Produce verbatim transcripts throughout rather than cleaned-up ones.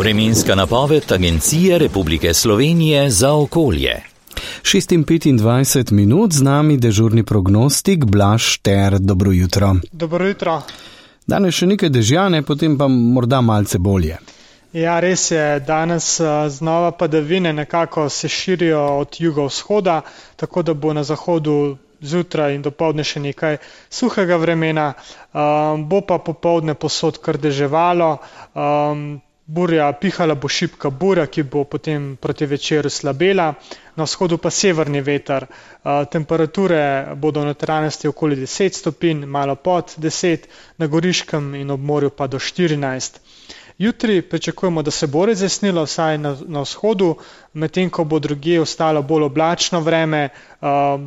Vremenska napoved Agencije Republike Slovenije za okolje. šest in petindvajset minut, z nami dežurni prognostik Blaž Šter. Dobro jutro. Dobro jutro. Danes še nekaj dežjane, potem pa morda malce bolje. Ja, res je. Danes znova padavine nekako se širijo od jugovzhoda, tako da bo na zahodu zjutraj in dopoldne še nekaj suhega vremena. Um, bo pa popoldne posod kar deževalo. Um, Burja, pihala bo šibka burja, ki bo potem proti večeru slabela, na vzhodu pa severni veter. Temperature bodo v notranjosti okoli deset stopinj, malo pod deset, na Goriškem in ob morju pa do štirinajst. Jutri pričakujemo, da se bo razjasnilo vsaj na, na vzhodu, medtem ko bo drugje ostalo bolj oblačno vreme.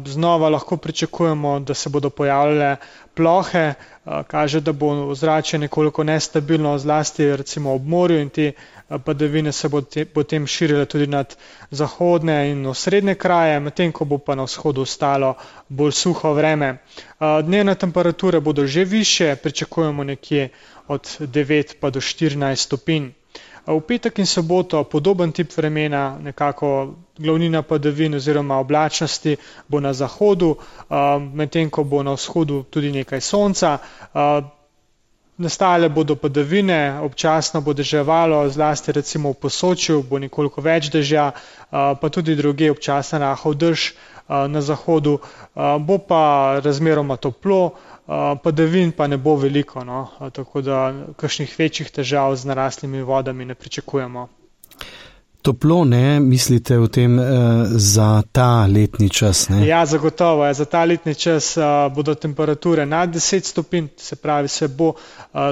Znova lahko pričakujemo, da se bodo pojavljale plohe, kaže, da bo ozračje nekoliko nestabilno, zlasti recimo ob morju, in te padavine se bo te, potem širile tudi nad zahodne in osrednje kraje, medtem ko bo pa na vzhodu ostalo bolj suho vreme. Dnevne temperature bodo že više, pričakujemo nekje od devet pa do štirinajst stopinj. V petek in soboto podoben tip vremena, nekako glavnina padavin oziroma oblačnosti bo na zahodu, medtem ko bo na vzhodu tudi nekaj sonca. Nastale bodo padavine, občasno bo deževalo, zlasti recimo v Posočju bo nekoliko več dežja, pa tudi drugje občasno rahel dež na zahodu. Bo pa razmeroma toplo, padavin pa ne bo veliko, no? Tako da kakšnih večjih težav z naraslimi vodami ne pričakujemo. Toplo, ne, mislite o tem eh, za ta letni čas, ne? Ja, zagotovo je. Za ta letni čas uh, bodo temperature nad deset stopinj, se pravi, se bo uh,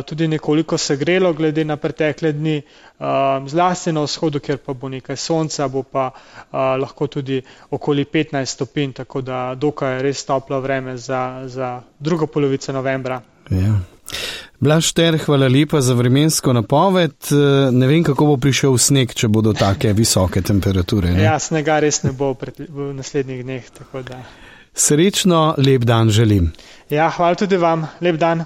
tudi nekoliko segrelo glede na pretekle dni, uh, zlasti na vzhodu, kjer pa bo nekaj sonca, bo pa uh, lahko tudi okoli petnajst stopinj, tako da dokaj res toplo vreme za, za drugo polovico novembra. Ja. Blaž Šter, hvala lepa za vremensko napoved. Ne vem, kako bo prišel sneg, če bodo take visoke temperature. Ne? Ja, snega res ne bo v naslednjih dneh. Tako da. Srečno, lep dan želim. Ja, hvala tudi vam. Lep dan.